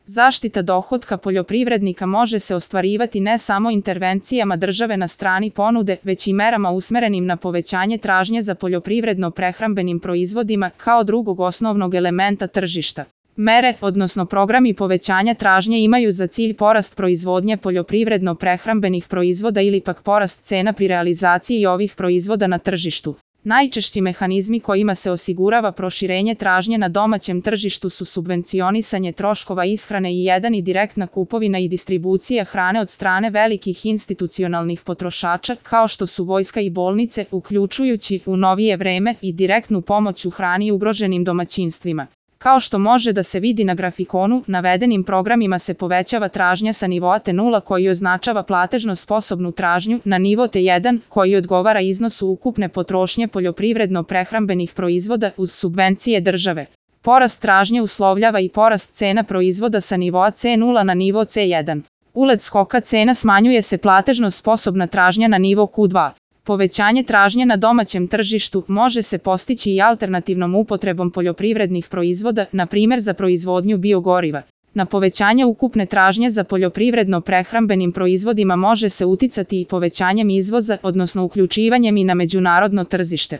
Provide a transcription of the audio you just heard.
Zaštita dohotka poljoprivrednika može se ostvarivati ne samo intervencijama države na strani ponude, već i merama usmerenim na povećanje tražnje za poljoprivredno-prehrambenim proizvodima kao drugog osnovnog elementa tržišta. Mere, odnosno programi povećanja tražnje imaju za cilj porast proizvodnje poljoprivredno-prehrambenih proizvoda ili pak porast cena pri realizaciji ovih proizvoda na tržištu. Najčešći mehanizmi kojima se osigurava proširenje tražnje na domaćem tržištu su subvencionisanje troškova ishrane i direktna kupovina i distribucija hrane od strane velikih institucionalnih potrošača, kao što su vojska i bolnice, uključujući u novije vreme i direktnu pomoć u hrani ugroženim domaćinstvima. Kao što može da se vidi na grafikonu, navedenim programima se povećava tražnja sa nivoa T0 koji označava platežno sposobnu tražnju na nivo T1 koji odgovara iznosu ukupne potrošnje poljoprivredno-prehrambenih proizvoda uz subvencije države. Porast tražnje uslovljava i porast cena proizvoda sa nivoa C0 na nivo C1. Usled skoka cena smanjuje se platežno sposobna tražnja na nivo Q2. Povećanje tražnje na domaćem tržištu može se postići i alternativnom upotrebom poljoprivrednih proizvoda, na primjer za proizvodnju biogoriva. Na povećanje ukupne tražnje za poljoprivredno-prehrambenim proizvodima može se uticati i povećanjem izvoza, odnosno uključivanjem i na međunarodno tržište.